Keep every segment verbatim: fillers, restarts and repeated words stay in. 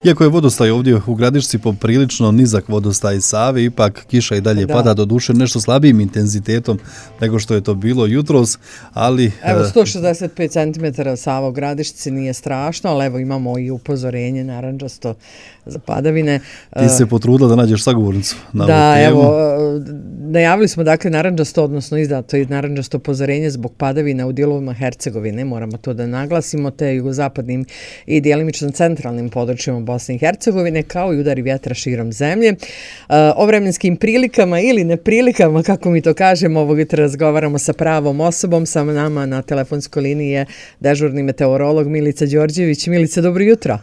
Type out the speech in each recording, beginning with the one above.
Iako je vodostaj ovdje u Gradišci poprilično nizak vodostaj Save, ipak kiša i dalje da. pada, do duše nešto slabijim intenzitetom nego što je to bilo jutros, ali... Evo, sto šezdeset pet centimetara Sava u Gradišci nije strašno, ali evo imamo i upozorenje narančasto za padavine. Ti se potrudila da nađeš sagovornicu na da, ovu temu. Evo, najavili smo dakle narančasto, odnosno izdato je narančasto upozorenje zbog padavina u dijelovima Hercegovine, moramo to da naglasimo, te jugozapadnim i djelimično centralnim područjima Bosne i Hercegovine, kao i udari vjetra širom zemlje. O vremenskim prilikama ili neprilikama, kako mi to kažemo, ovog jutra razgovaramo sa pravom osobom. Sa nama na telefonskoj liniji je dežurni meteorolog Milica Đorđević. Milica, dobro jutro.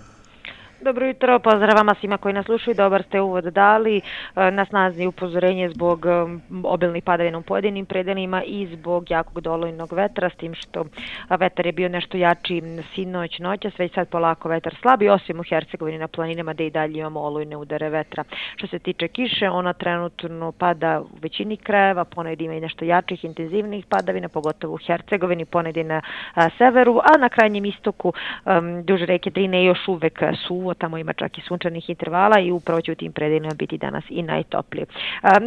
Dobro jutro, pozdrav vama svima koji nas slušaju, dobar ste uvod dali. Na snazi upozorenje zbog obilnih padavina u pojedinim predelima i zbog jakog dolojnog vetra, s tim što vetar je bio nešto jači sinoć, noća, sve sad polako vetar slabi, osim u Hercegovini na planinama gdje i dalje imamo olujne udare vetra. Što se tiče kiše, ona trenutno pada u većini krajeva, ponegdje ima i nešto jačih, intenzivnih padavina, pogotovo u Hercegovini, ponegdje na severu, a na krajnjem istoku duže reke Drine još uvek suvo, tamo ima čak i sunčanih intervala i upravo će u tim predelima biti danas i najtoplije.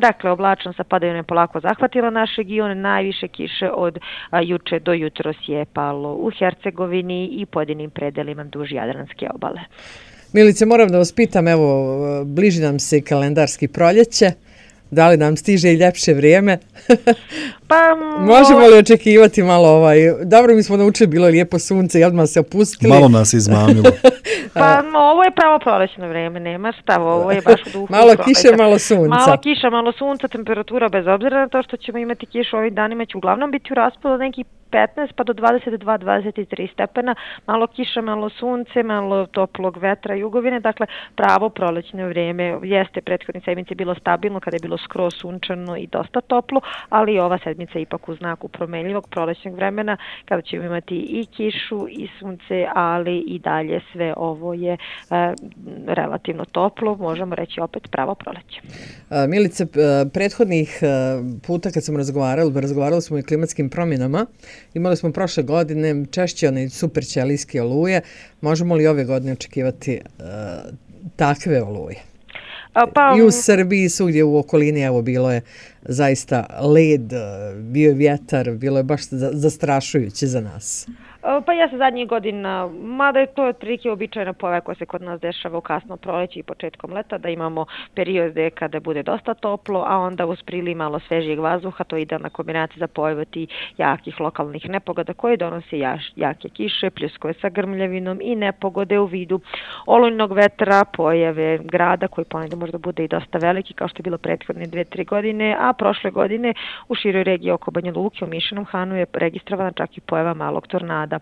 Dakle, oblačno sa padavinom je polako zahvatila naš region, najviše kiše od juče do jutros je palo u Hercegovini i pojedinim predelima duž Jadranske obale. Milice, moram da vas pitam, evo, bliži nam se kalendarski proljeće. Da li nam stiže i ljepše vrijeme? Pa, možemo li očekivati malo ovaj... Dobro, mi smo naučili, bilo je lijepo sunce i odmah se opustili. Malo nas izmamilo. Pa, ovo je pravo prolećno vrijeme, nema šta, ovo je baš u duhu. Malo kiše, malo sunca. Malo kiša, malo sunca, temperatura bez obzira na to što ćemo imati kišu ovih danima će uglavnom biti u raspadu nekih petnaest pa do dvadeset dva do dvadeset tri stepena, malo kiša, malo sunce, malo toplog vetra i jugovine, dakle pravo prolećno vrijeme. Jeste prethodne sedmice bilo stabilno kada je bilo skroz sunčano i dosta toplo, ali ova sedmica je ipak u znaku promenljivog prolećnog vremena kada ćemo imati i kišu i sunce, ali i dalje sve ovo je e, relativno toplo, možemo reći opet pravo proleće. Milice, prethodnih puta kad smo razgovarali, razgovarali smo i o klimatskim promjenama. Imali smo prošle godine češće one super ćelijske oluje. Možemo li ove godine očekivati uh, takve oluje? Pa, I u Srbiji, svugdje u okolini, evo, bilo je zaista led, bio je vjetar, bilo je baš zastrašujuće za nas. Pa ja se zadnjih godina, mada je to otprilike običajna pojava koja se kod nas dešava u kasno proleće i početkom leta, da imamo periode kada bude dosta toplo, a onda uz priliv malo svežijeg vazduha, to je idealna kombinacija za pojavu tih jakih lokalnih nepogoda koje donose jaš, jake kiše, pljuskove sa grmljavinom i nepogode u vidu olujnog vetra, pojave grada koji ponegdje možda bude i dosta veliki kao što je bilo prethodne dve, tri godine, a prošle godine u široj regiji oko Banja Luke u Mišenom Hanu je registrovana čak i pojava malog tornada.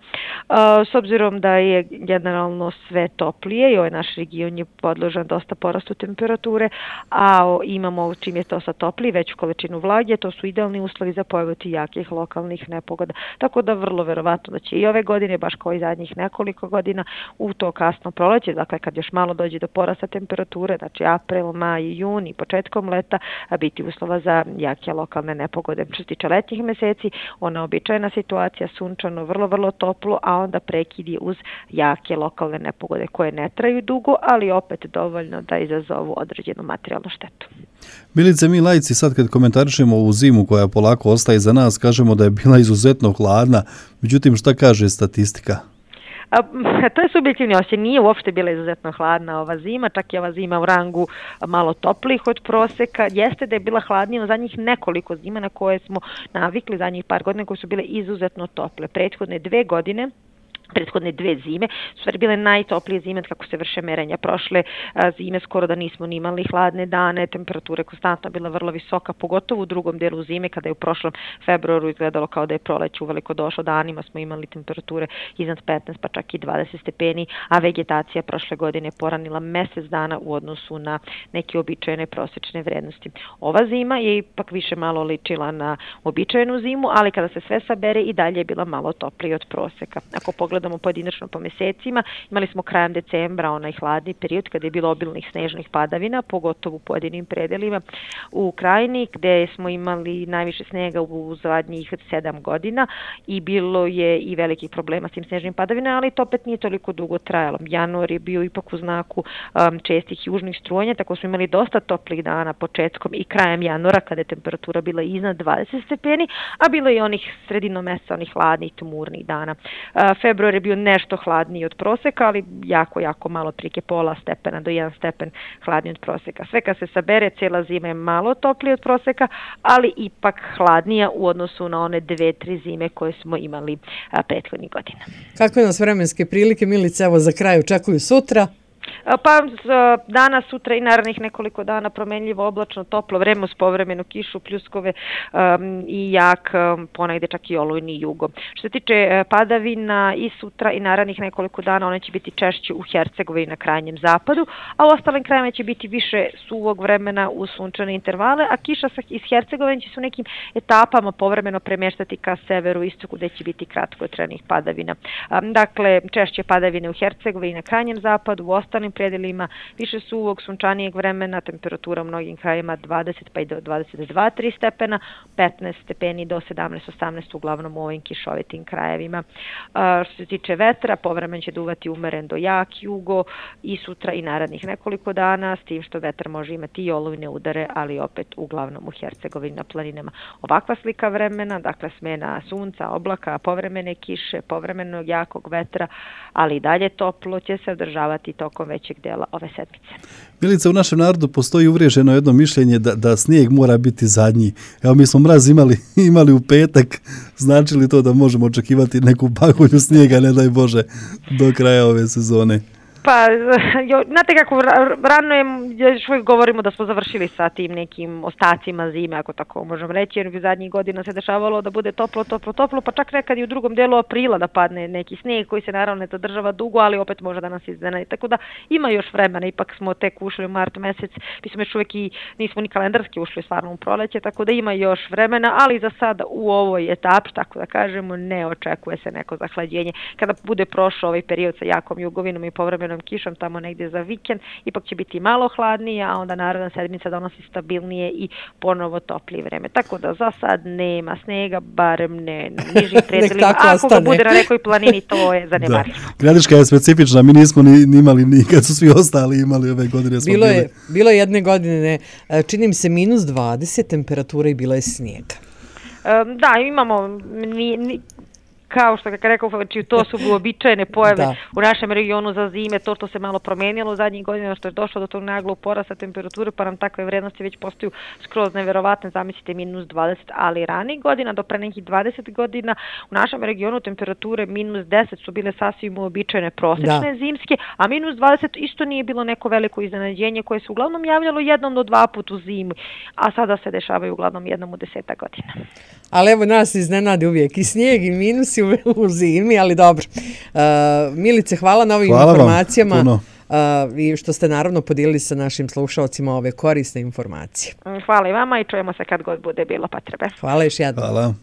S obzirom da je generalno sve toplije i ovaj naš region je podložan dosta porastu temperature, a imamo čim je to sa toplije veću količinu vlage, to su idealni uslovi za pojavu jakih lokalnih nepogoda. Tako da vrlo verovatno da će i ove godine, baš kao i zadnjih nekoliko godina, u to kasno proleće, dakle kad još malo dođe do porasta temperature, znači april, maj, jun i početkom leta, biti uslova za jake lokalne nepogode. Što se tiče letnjih meseci, ona običajna situacija, sunčano, vrlo, vrlo toplo, a onda prekidi uz jake lokalne nepogode koje ne traju dugo, ali opet dovoljno da izazovu određenu materijalnu štetu. Milice, mi laici sad kad komentarišemo ovu zimu koja polako ostaje za nas, kažemo da je bila izuzetno hladna, međutim šta kaže statistika? A, to je subjektivni osjećaj, nije uopšte bila izuzetno hladna ova zima, čak je ova zima u rangu malo toplih od proseka. Jeste da je bila hladnija u zadnjih nekoliko zima na koje smo navikli, zadnjih par godina koje su bile izuzetno tople. Prethodne dve godine prethodne dve zime su stvari bile najtoplije zime kako se vrše merenja. Prošle a, zime skoro da nismo ni imali hladne dane, temperature konstantno bila vrlo visoka, pogotovo u drugom delu zime kada je u prošlom februaru izgledalo kao da je proleće uveliko došlo, danima smo imali temperature iznad petnaest pa čak i dvadeset stepeni, a vegetacija prošle godine je poranila mjesec dana u odnosu na neke običajne prosječne vrednosti. Ova zima je ipak više malo ličila na običajnu zimu, ali kada se sve sabere i dalje je bila malo toplije od proseka. Ako pogledamo pogledamo pojedinačno po mjesecima, imali smo krajem decembra onaj hladni period kada je bilo obilnih snežnih padavina, pogotovo u pojedinim predelima u krajini gdje smo imali najviše snega u zadnjih sedam godina i bilo je i velikih problema s tim snežnim padavinama, ali to opet nije toliko dugo trajalo. Januar je bio ipak u znaku um, čestih južnih strujanja, tako smo imali dosta toplih dana početkom i krajem januara kada je temperatura bila iznad dvadeset stepeni, a bilo je i onih sredinom mjeseca, onih hladnih, tmurnih dana. Uh, februar je bio nešto hladniji od proseka, ali jako, jako malo, prike pola stepena do jedan stepen hladniji od proseka. Sve kad se sabere, cijela zima je malo toplije od proseka, ali ipak hladnija u odnosu na one dve, tri zime koje smo imali uh, prethodnih godina. Kakve nas vremenske prilike, Milice, evo za kraj očekuju sutra? Pa danas, sutra i narednih nekoliko dana promenljivo, oblačno, toplo vreme uz povremenu kišu, pljuskove um, i jak, um, ponegde čak i olujni jugo. Što se tiče padavina i sutra i narednih nekoliko dana, one će biti češće u Hercegovini na krajnjem zapadu, a u ostalim krajima će biti više suvog vremena u sunčane intervale, a kiša iz Hercegovine će se u nekim etapama povremeno premještati ka severu istoku gdje će biti kratkotrajnih padavina. Um, dakle, češće padavine u Hercegovini na krajnjem zapadu, u ostalim predelima više suvog, sunčanijeg vremena, temperatura u mnogim krajima dvadeset pa i do dvadeset dva tri stepena, petnaest stepeni do sedamnaest osamnaest uglavnom u ovim kišovitim krajevima. A, što se tiče vetra, povremeno će duvati umeren do jak jugo i sutra i narednih nekoliko dana, s tim što vetar može imati i olujne udare, ali opet uglavnom u Hercegovini na planinama. Ovakva slika vremena, dakle smena sunca, oblaka, povremene kiše, povremenog jakog vetra, ali i dalje toplo će se održavati tokom većeg dela ove sedmice. Milica, u našem narodu postoji uvriježeno jedno mišljenje da, da snijeg mora biti zadnji. Evo, mi smo mraz imali, imali u petak, znači li to da možemo očekivati neku pahulju snijega, ne daj Bože, do kraja ove sezone? Pa, jo, znate kako, rano je, još uvijek govorimo da smo završili sa tim nekim ostacima zime, ako tako možemo reći, jer bi zadnjih godina se dešavalo da bude toplo, toplo, toplo, pa čak nekad i u drugom delu aprila da padne neki snijeg koji se naravno ne zadržava dugo, ali opet može da nas iznenadi. Tako da ima još vremena, ipak smo tek ušli u mart mjesec, mi smo još uvijek i nismo ni kalendarski ušli stvarno u proleće, tako da ima još vremena, ali za sada u ovoj etapi, tako da kažemo, ne očekuje se neko zahlađenje. Kada bude prošao ovaj period sa jakom jugovinom i povremenom kišom tamo negdje za vikend, ipak će biti malo hladnije, a onda naredna sedmica donosi stabilnije i ponovo toplije vreme. Tako da za sad nema snega, barem ne nižim predelima. Ako ga bude na nekoj planini, to je zanemarivo. Gradiška je specifična, mi nismo ni, ni imali ni kad su svi ostali imali ove godine. Bilo je, bilo je jedne godine, čini mi se minus dvadeset temperatura i bila je snijega. Um, da, imamo ni, ni, kao što kako rekao, to su uobičajene pojave da. U našem regionu za zime, to što se malo promijenilo u zadnjih godina, što je došlo do tog naglog porasta temperature, pa nam takve vrednosti već postaju skroz neverovatne, zamislite minus dvadeset, ali ranih godina, do pre nekih dvadeset godina, u našem regionu temperature minus deset su bile sasvim uobičajene prosječne da. Zimske, a minus dvadeset isto nije bilo neko veliko iznenađenje koje se uglavnom javljalo jednom do dva put u zimi, a sada se dešavaju uglavnom jednom u deseta godina. Ali evo nas iznenadi uvijek i snijeg i minus u zimi, ali dobro. Uh, Milice, hvala na ovim hvala informacijama uh, i što ste naravno podijelili sa našim slušalcima ove korisne informacije. Hvala i vama i čujemo se kad god bude bilo potrebe. Hvala još jednom. Hvala.